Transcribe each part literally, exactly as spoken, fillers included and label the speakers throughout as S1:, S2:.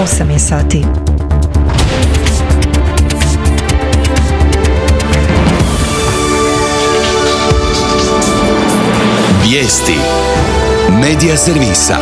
S1: osam je sati.
S2: Vijesti Medija servisa.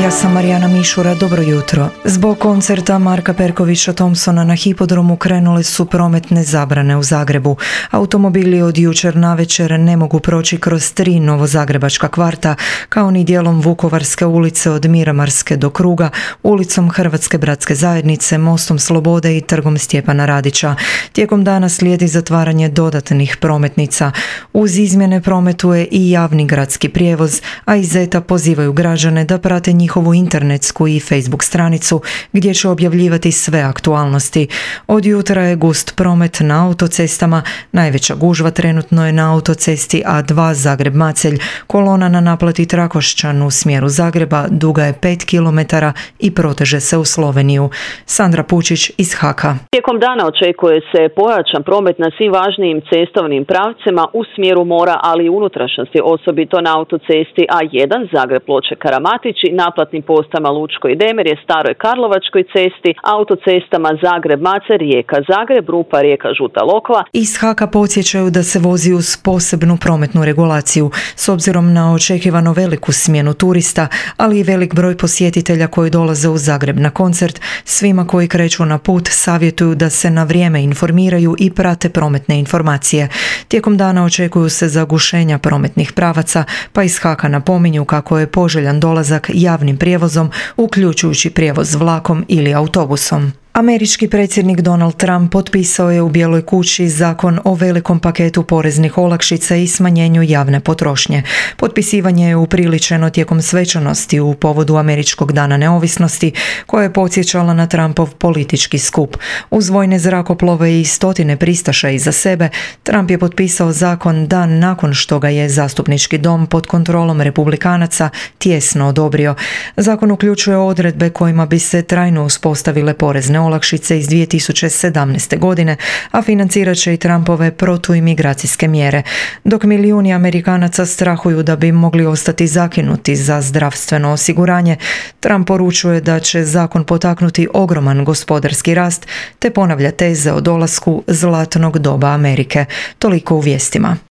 S1: Ja sam Marijana Mišura, dobro jutro. Zbog koncerta Marka Perkovića Thompsona na hipodromu krenule su prometne zabrane u Zagrebu. Automobili od jučer navečer ne mogu proći kroz tri novozagrebačka kvarta, kao ni dijelom Vukovarske ulice od Miramarske do Kruga, ulicom Hrvatske bratske zajednice, Mostom Slobode i Trgom Stjepana Radića. Tijekom dana slijedi zatvaranje dodatnih prometnica. Uz izmjene prometuje i javni gradski prijevoz, a iz Zeta pozivaju građane da prate njihovu internetsku i Facebook stranicu gdje će objavljivati sve aktualnosti. Od jutra je gust promet na autocestama, najveća gužva trenutno je na autocesti A dva Zagreb-Macelj. Kolona na naplati Trakošćan u smjeru Zagreba duga je pet kilometara i proteže se u Sloveniju. Sandra Pučić iz Haka.
S3: Tijekom dana očekuje se pojačan promet na svim važnijim cestovnim pravcima u smjeru mora, ali i unutrašnjosti, osobito na autocesti A jedan Zagreb-Ploče-Karamatić i naplatnim postama Lučko i Demirje, Staroj Karlovačkoj cesti, autocestama Zagreb-Macelj, Rijeka-Zagreb, Rupa, Rijeka-Žuta Lokva.
S1: Iz Haka podsjećaju da se vozi uz posebnu prometnu regulaciju, s obzirom na očekivano veliku smjenu turista, ali i velik broj posjetitelja koji dolaze u Zagreb na koncert. Svima koji kreću na put savjetuju da se na vrijeme informiraju i prate prometne informacije. Tijekom dana očekuju se zagušenja prometnih pravaca, pa iz Haka napominju kako je poželjan dolazak javnim prijevozom, uključujući prijevoz vlakom ili autobusom. Američki predsjednik Donald Trump potpisao je u Bijeloj kući zakon o velikom paketu poreznih olakšica i smanjenju javne potrošnje. Potpisivanje je upriličeno tijekom svečanosti u povodu Američkog dana neovisnosti, koja je podsjećala na Trumpov politički skup. Uz vojne zrakoplove i stotine pristaša iza sebe, Trump je potpisao zakon dan nakon što ga je zastupnički dom pod kontrolom republikanaca tijesno odobrio. Zakon uključuje odredbe kojima bi se trajno uspostavile porezne olakšice iz dvije tisuće sedamnaeste. godine, a financirat će i Trumpove protuimigracijske mjere. Dok milijuni Amerikanaca strahuju da bi mogli ostati zakinuti za zdravstveno osiguranje, Trump poručuje da će zakon potaknuti ogroman gospodarski rast, te ponavlja teze o dolasku zlatnog doba Amerike. Toliko u vijestima.